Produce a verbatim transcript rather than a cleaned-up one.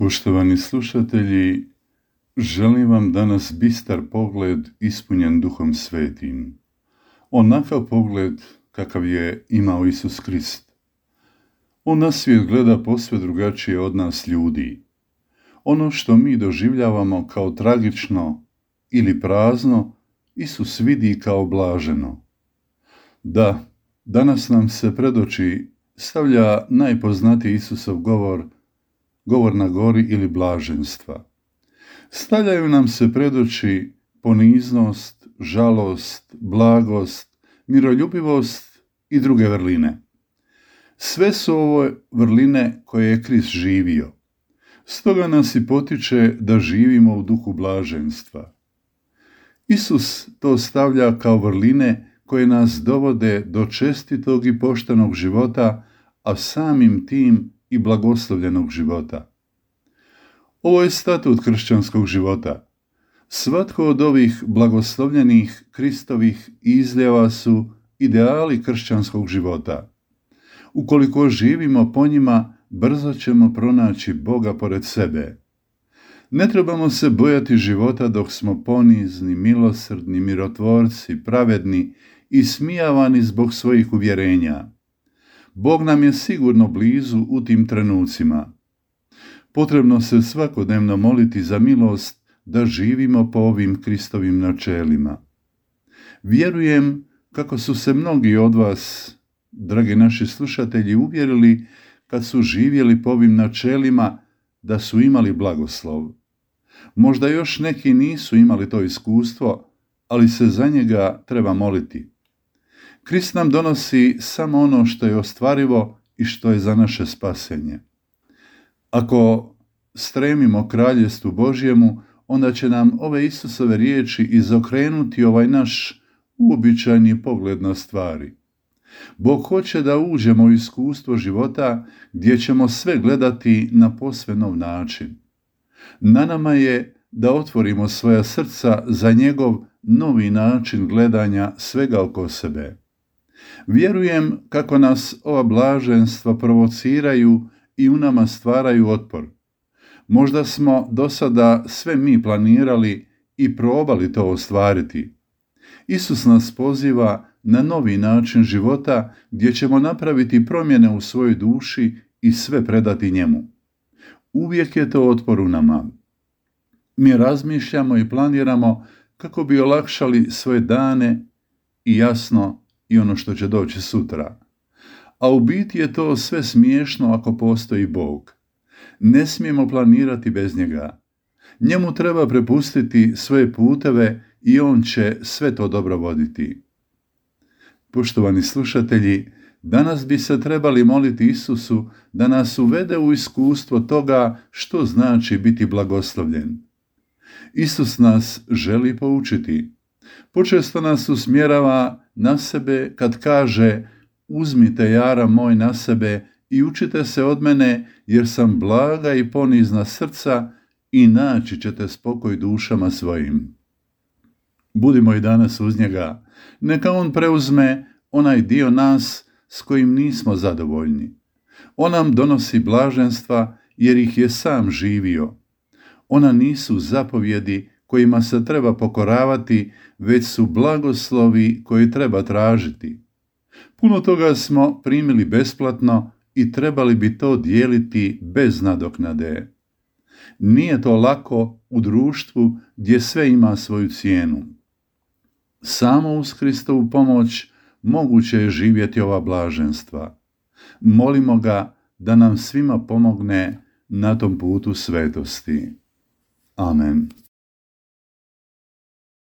Poštovani slušatelji, želim vam danas bistar pogled ispunjen Duhom Svetim. Onakav pogled kakav je imao Isus Krist. On na svijet gleda posve drugačije od nas ljudi. Ono što mi doživljavamo kao tragično ili prazno, Isus vidi kao blaženo. Da, danas nam se pred oči stavlja najpoznatiji Isusov govor, govor na gori ili blaženstva. Stavljaju nam se pred oči poniznost, žalost, blagost, miroljubivost i druge vrline. Sve su ovo vrline koje je Krist živio. Stoga nas i potiče da živimo u duhu blaženstva. Isus to stavlja kao vrline koje nas dovode do čestitog i poštenog života, a samim tim i blagoslovljenog života. Ovo je statut kršćanskog života. Svatko od ovih blagoslovljenih Kristovih izljeva su ideali kršćanskog života. Ukoliko živimo po njima, brzo ćemo pronaći Boga pored sebe. Ne trebamo se bojati života dok smo ponizni, milosrdni, mirotvorci, pravedni i smijavani zbog svojih uvjerenja. Bog nam je sigurno blizu u tim trenucima. Potrebno se svakodnevno moliti za milost da živimo po ovim Kristovim načelima. Vjerujem kako su se mnogi od vas, dragi naši slušatelji, uvjerili kad su živjeli po ovim načelima da su imali blagoslov. Možda još neki nisu imali to iskustvo, ali se za njega treba moliti. Krist nam donosi samo ono što je ostvarivo i što je za naše spasenje. Ako stremimo kraljestvu Božjemu, onda će nam ove Isusove riječi izokrenuti ovaj naš uobičajeni pogled na stvari. Bog hoće da uđemo u iskustvo života gdje ćemo sve gledati na posve nov način. Na nama je da otvorimo svoja srca za njegov novi način gledanja svega oko sebe. Vjerujem kako nas ova blaženstva provociraju i u nama stvaraju otpor. Možda smo do sada sve mi planirali i probali to ostvariti. Isus nas poziva na novi način života gdje ćemo napraviti promjene u svojoj duši i sve predati njemu. Uvijek je to otpor u nama. Mi razmišljamo i planiramo kako bi olakšali svoje dane i jasno i ono što će doći sutra. A u biti je to sve smiješno ako postoji Bog. Ne smijemo planirati bez njega. Njemu treba prepustiti svoje puteve i on će sve to dobro voditi. Poštovani slušatelji, danas bi se trebali moliti Isusu da nas uvede u iskustvo toga što znači biti blagoslovljen. Isus nas želi poučiti. Počesto nas usmjerava na sebe kad kaže: uzmite jara moj na sebe i učite se od mene, jer sam blaga i ponizna srca i naći ćete spokoj dušama svojim. Budimo i danas uz njega. Neka on preuzme onaj dio nas s kojim nismo zadovoljni. On nam donosi blaženstva jer ih je sam živio. Ona nisu zapovjedi kojima se treba pokoravati, već su blagoslovi koje treba tražiti. Puno toga smo primili besplatno i trebali bi to dijeliti bez nadoknade. Nije to lako u društvu gdje sve ima svoju cijenu. Samo uz Kristovu pomoć moguće je živjeti ova blaženstva. Molimo ga da nam svima pomogne na tom putu svetosti. Amen.